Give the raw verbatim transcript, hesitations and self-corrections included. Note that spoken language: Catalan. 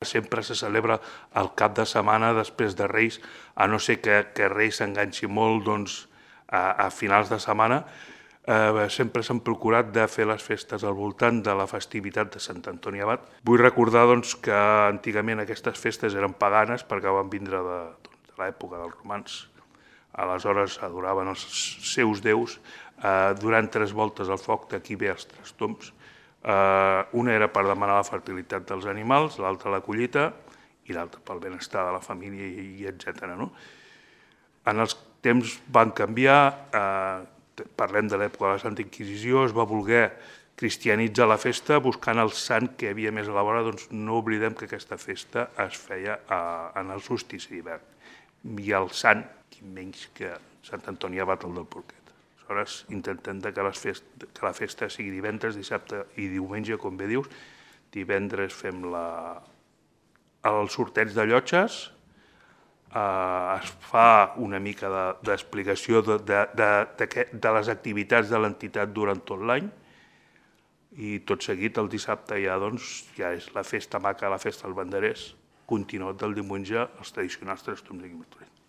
Sempre se celebra el cap de setmana després de Reis, a no ser que, que Reis s'enganxi molt doncs, a, a finals de setmana. Eh, sempre s'han procurat de fer les festes al voltant de la festivitat de Sant Antoni Abat. Vull recordar doncs, que antigament aquestes festes eren paganes perquè van vindre de, doncs, de l'època dels romans. Aleshores adoraven els seus déus eh, durant tres voltes al foc, d'aquí ve els tres tombs. Uh, una era per demanar la fertilitat dels animals, l'altra la collita i l'altra pel benestar de la família i, i etcètera. No? En els temps van canviar, uh, parlem de l'època de la Santa Inquisició, es va voler cristianitzar la festa buscant el sant que havia més a la vora, doncs no oblidem que aquesta festa es feia uh, en el solstici d'hivern. I el sant, qui menys que Sant Antoni Abat, el del Porquet. Aleshores, intentem que, les fest, que la festa sigui divendres, dissabte i diumenge, com bé dius. Divendres fem la, el sorteig de llotges, eh, es fa una mica d'explicació de, de, de, de, de les activitats de l'entitat durant tot l'any i tot seguit el dissabte ja, doncs, ja és la festa maca, la festa dels banderers, continuat del diumenge, els tradicionals tres tombs de Guimarães.